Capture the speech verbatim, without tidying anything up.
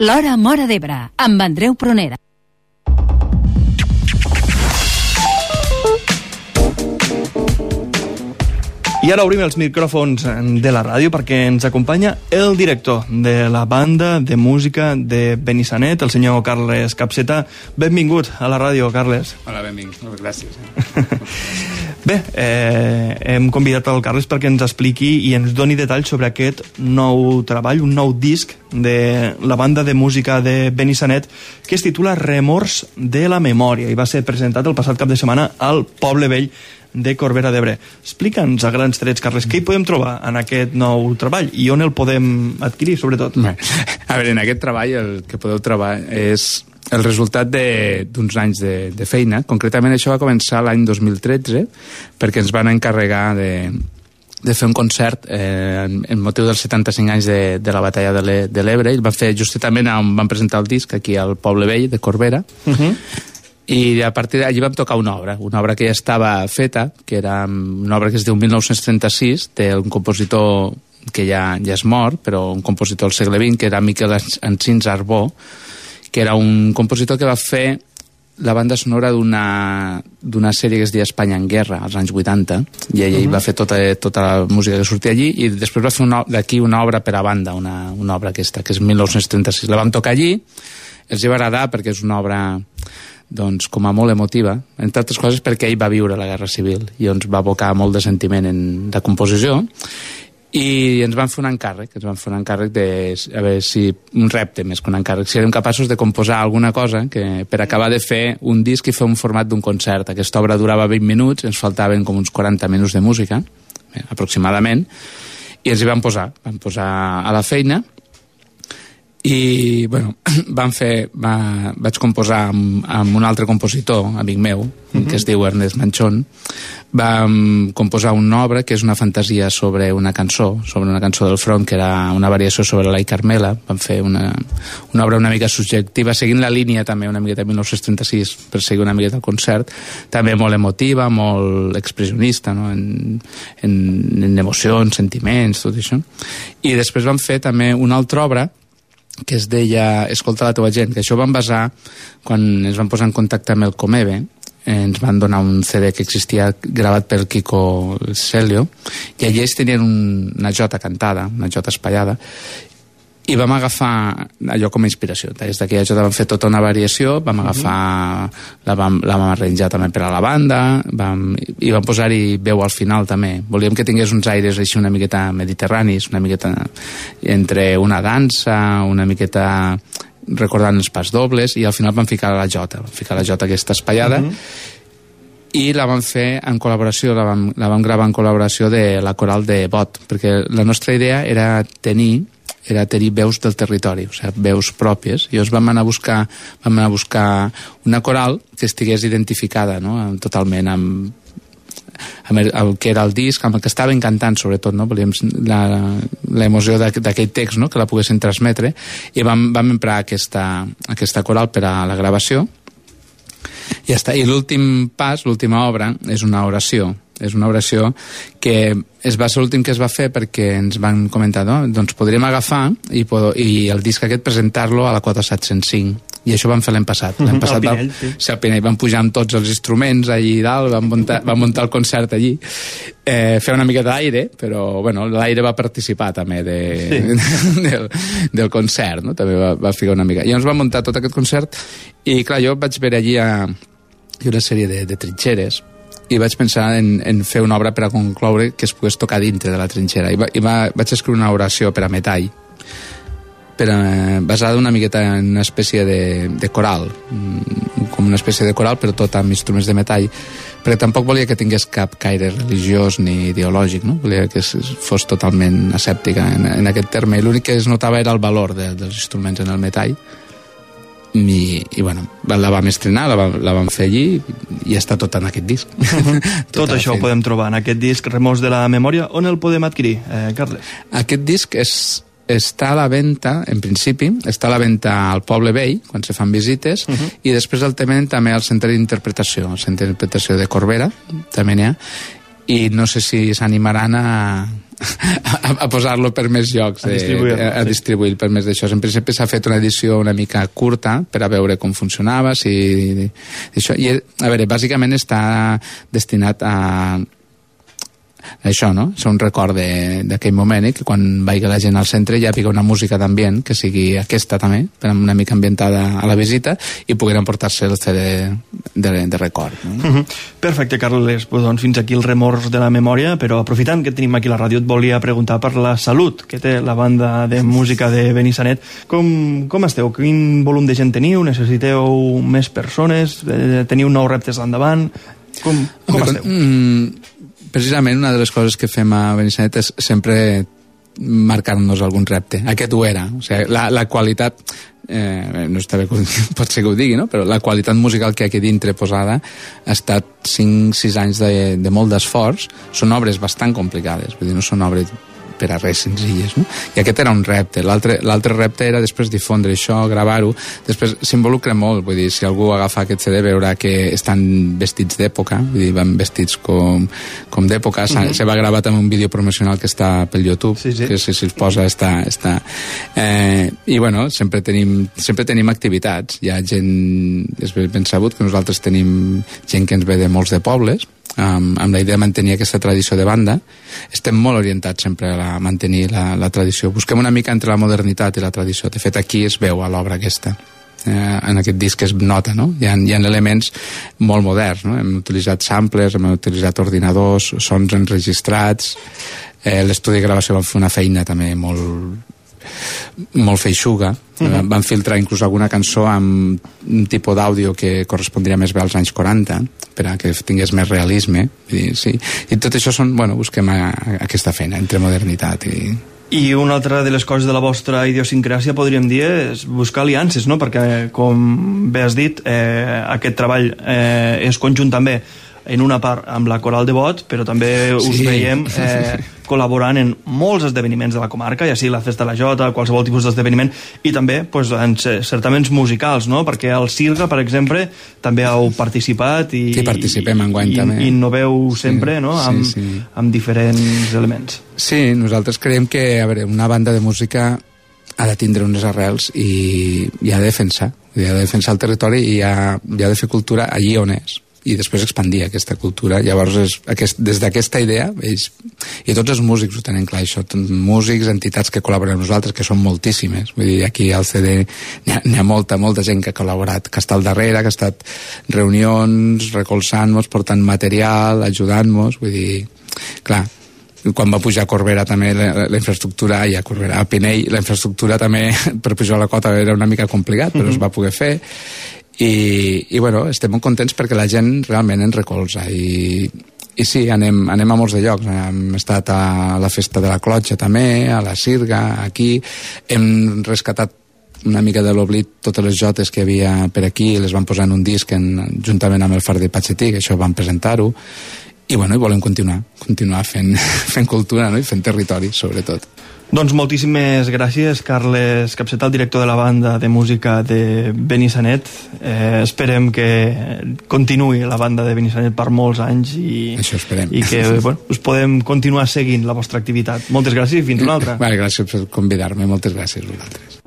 L'Hora Móra d'Ebre, amb Andreu Prunera. I ara obrim els micròfons de la ràdio perquè ens acompanya el director de la banda de música de Benissanet, el senyor Carles Capseta. Benvingut a la ràdio, Carles. Hola, benvingut. Gràcies. Bé, eh, hem convidat el Carles perquè ens expliqui i ens doni detalls sobre aquest nou treball, un nou disc de la banda de música de Benissanet que es titula Remors de la Memòria i va ser presentat el passat cap de setmana al Poble Vell de Corbera d'Ebre. Explica'ns a grans trets, Carles, què hi podem trobar en aquest nou treball i on el podem adquirir, sobretot? Bé, a veure, en aquest treball el que podeu trobar és el resultat d'uns anys de, de feina. Concretament això va començar l'any dos mil tretze perquè ens van encarregar de, de fer un concert eh, en, en motiu dels setanta-cinc anys de, de la batalla de l'Ebre i el van fer justament on van presentar el disc aquí al Poble Vell de Corbera. Uh-huh. I a partir d'allí vam tocar una obra, una obra que ja estava feta, que era una obra que es diu mil nou-cents trenta-sis, d'un compositor que ja, ja és mort, però un compositor del segle vint, que era Miquel Encins Arbó, que era un compositor que va fer la banda sonora d'una d'una sèrie que es deia Espanya en Guerra, als anys vuitanta, i ell uh-huh. va fer tota, tota la música que sortia allí, i després va fer d'aquí una obra per a banda, una, una obra aquesta, que és mil nou-cents trenta-sis. La vam tocar allí, els va agradar perquè és una obra doncs, com a molt emotiva, entre altres coses perquè ell va viure la Guerra Civil i ens va abocar molt de sentiment en la composició i ens van fer un encàrrec, ens van fer un encàrrec de, a veure si, un repte més que un encàrrec, si érem capaços de composar alguna cosa que, per acabar de fer un disc i fer un format d'un concert. Aquesta obra durava vint minuts, ens faltaven com uns quaranta minuts de música, eh, aproximadament, i ens hi vam posar, vam posar a la feina. I, bueno, vam fer, va, vaig composar amb, amb un altre compositor, amic meu, uh-huh. que es diu Ernest Manchón. Vam composar una obra que és una fantasia sobre una cançó, sobre una cançó del front, que era una variació sobre la i Carmela. Vam fer una, una obra una mica subjectiva, seguint la línia també una miqueta de mil nou-cents trenta-sis, per seguir una miqueta el concert, també molt emotiva, molt expressionista, no? en, en, en emocions, sentiments, tot això. I després vam fer també una altra obra que es deia Escolta la teva gent, que això vam basar quan ens vam posar en contacte amb el Comebe, ens van donar un C D que existia gravat per Kiko Celio i allí ells tenien un, una jota cantada, una jota espaiada, i vam agafar allò com a inspiració. Des d'aquella jota vam fer tota una variació, vam agafar, la vam, la vam arranjar també per a la banda, vam, i vam posar-hi veu al final també. Volíem que tingués uns aires així una miqueta mediterranis, una miqueta entre una dansa, una miqueta recordant els pas dobles, i al final vam ficar la jota, vam ficar la jota aquesta espaiada, uh-huh. i la vam fer en col·laboració, la vam, la vam gravar en col·laboració de la coral de Bot, perquè la nostra idea era tenir era tenir veus del territori, o sigui, veus pròpies. I llavors vam anar a buscar, vam anar a buscar una coral que estigués identificada, no? totalment amb, amb el, el que era el disc, amb el que estava encantant, sobretot, no? Volíem l'emoció d'aquell text, no? Que la poguessin transmetre, i vam, vam emprar aquesta, aquesta coral per a la gravació. I ja està. I l'últim pas, l'última obra, és una oració. És una oració que es va ser l'últim que es va fer perquè ens van comentar, no? Doncs podríem agafar i, i el disc aquest presentar-lo a la quota set-cents cinc. I això vam fer l'any passat. L'any passat al Pinell, vam, sí. Pinell, vam pujar amb tots els instruments allí dalt, vam muntar, vam muntar el concert allí, eh, fer una mica d'aire, però bueno, l'aire va participar també de, sí. del, del concert, no? També va, va ficar una mica. I llavors vam muntar tot aquest concert i clar, jo vaig veure allí a, una sèrie de, de trinxeres i vaig pensar en, en fer una obra per a concloure que es pogués tocar dintre de la trinxera. I, va, i va, vaig escriure una oració per a metall, per a, basada una miqueta en una espècie de, de coral, com una espècie de coral, però tot amb instruments de metall, perquè tampoc volia que tingués cap caire religiós ni ideològic, no? Volia que fos totalment escèptica en, en aquest terme, i l'únic que es notava era el valor de, dels instruments en el metall. I, i bueno, la vam estrenar, la vam, la vam fer allí i està tot en aquest disc. Uh-huh. Tot això ho podem trobar en aquest disc Remors de la Memòria. On el podem adquirir, eh, Carles? Aquest disc és, està a la venda, en principi, està a la venda al Poble Vell, quan se fan visites, uh-huh. i després el tenen també al Centre d'Interpretació, al Centre d'Interpretació de Corbera, també n'hi ha, i no sé si s'animaran a, a, a posar-lo per més llocs, a distribuir, a, a distribuir per més d'això. En principi s'ha fet una edició una mica curta per a veure com funcionava, si, això. I, a veure, bàsicament està destinat a això, no? És un record d'aquell moment, eh? Que quan vagi la gent al centre ja hi una música d'ambient que sigui aquesta també, però una mica ambientada a la visita, i pogueren emportar-se el C D de, de record, no? Uh-huh. Perfecte, Carles, pues, doncs fins aquí el remors de la memòria, però aprofitant que tenim aquí la ràdio et volia preguntar per la salut que té la banda de música de Benissanet. Com, com esteu? Quin volum de gent teniu? Necessiteu més persones? Teniu nous reptes endavant? Com, com okay, esteu? Mm, precisament una de les coses que fem a Benissanet és sempre marcar-nos algun repte. Aquest ho era. O sigui, la, la qualitat, eh, no està bé, pot ser que ho digui, no? Però la qualitat musical que hi ha aquí dintre posada ha estat cinc sis anys de, de molt d'esforç. Són obres bastant complicades, vull dir, no són obres per a res senzilles, no? I aquest era un repte. L'altre repte era després difondre això, gravar-ho. Després s'involucra molt, vull dir, si algú agafa aquest C D veurà que estan vestits d'època, vull dir, van vestits com, com d'època. Mm-hmm. Se va gravar també un vídeo promocional que està pel YouTube, sí, sí. Que si se'ls posa està... està. Eh, I bueno, sempre tenim, sempre tenim activitats. Hi ha gent, és ben sabut que nosaltres tenim gent que ens ve de molts de pobles, amb, amb la idea de mantenir aquesta tradició de banda. Estem molt orientats sempre a mantenir la, la tradició. Busquem una mica entre la modernitat i la tradició. De fet, aquí es veu a l'obra aquesta. Eh, en aquest disc es nota, no? Hi ha, hi ha elements molt moderns, no? Hem utilitzat samplers, hem utilitzat ordinadors, sons enregistrats. Eh, l'estudi de gravació va fer una feina també molt molt feixuga. Uh-huh. Van filtrar inclús alguna cançó amb un tipus d'àudio que correspondria més bé als anys quaranta, per a que tingués més realisme. I, sí. I tot això són, bueno, busquem a, a aquesta feina entre modernitat i... I una altra de les coses de la vostra idiosincràsia, podríem dir, és buscar aliances, no? Perquè, com bé has dit, eh, aquest treball eh, és conjunt també en una part amb la Coral de Bot, però també us sí. veiem eh, col·laborant en molts esdeveniments de la comarca, ja sigui la Festa de la Jota, qualsevol tipus d'esdeveniment, i també pues, en certaments musicals, no? Perquè al Sirga, per exemple, també heu participat i, sí, participem enguany i, també. I innoveu sempre, sí, no? Amb, sí, sí. amb diferents elements. Sí, nosaltres creiem que, a veure, una banda de música ha de tindre unes arrels i, i ha de defensar, ha de defensar el territori i ha, i ha de fer cultura allí on és, i després expandir aquesta cultura. Llavors, és, aquest, des d'aquesta idea, ells, i tots els músics ho tenen clar, això, músics, entitats que col·laboren amb nosaltres, que són moltíssimes. Vull dir, aquí al C D n'hi ha, n'hi ha molta, molta gent que ha col·laborat, que està al darrere, que ha estat reunions, recolzant-nos, portant material, ajudant-nos, vull dir, clar, quan va pujar a Corbera també la, la infraestructura, i a Corbera, a Pinell, la infraestructura també per pujar a la cota era una mica complicat, però mm-hmm. es va poder fer. I, i bueno, estem molt contents perquè la gent realment ens recolza i, i sí, anem, anem a molts de llocs. Hem estat a la Festa de la Clotxa també, a la Sirga, aquí hem rescatat una mica de l'oblit totes les jotes que hi havia per aquí, les van posar en un disc en, juntament amb el Far de Patxetí, que això vam presentar-ho, i bueno, i volem continuar continuar fent, fent cultura, no? I fent territori, sobretot. Doncs moltíssimes gràcies, Carles Capseta, el director de la banda de música de Benissanet. Eh, esperem que continuï la banda de Benissanet per molts anys i, això esperem. I que bueno, us podem continuar seguint la vostra activitat. Moltes gràcies i fins una altra. Vale, gràcies per convidar-me, moltes gràcies a vosaltres.